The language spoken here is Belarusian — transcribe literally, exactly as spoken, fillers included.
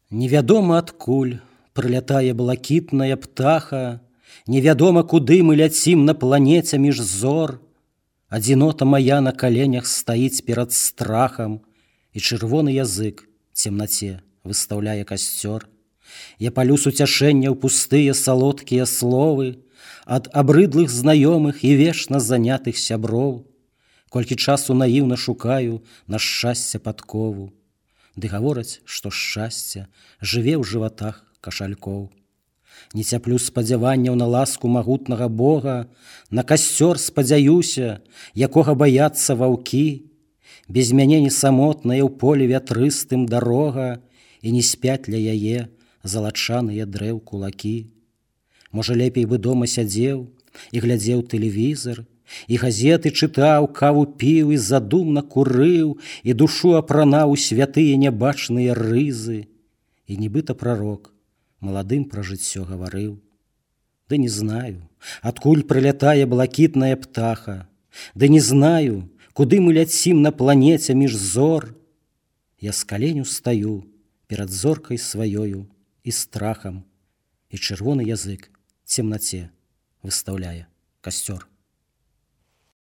Невядома адкуль прылятае блакітная птаха, невядома, куды мы ляцім на планеце між зор. Адзінота мая на каленях стаіць перад страхам, і чырвоны язык цемнаце выстаўляе касцёр. Я палю суцяшэння ў пустыя салодкія словы ад абрыдлых знаёмых і вечна занятых сяброў. Колькі часу наіўна шукаю на шчасце падкову, ды гавораць, што шчасце жыве ў жыватах кашалькоў. Не цяплю спадзяванняў на ласку магутнага Бога, на касцёр спадзяюся, якога баяцца ваўкі. Без мяне не самотная ў полі вятрыстым дарога, і не спяць ля яе залачаныя дрэў кулакі. Можа, лепей бы дома сядзеў і глядзеў тэлевізар, і газеты чытаў, каву піў і задумна курыў, і душу апранаў у святыя нябачныя рызы. І нібыта прарок маладым пра жыццё гаварыў. Ды не знаю, адкуль прылятае блакітная птаха, ды не знаю, куды мы ляцім на планеце між зор. Я з каленю стаю перад зоркай сваёю і страхам, і чырвоны язык цемнаце выстаўляе касцёр.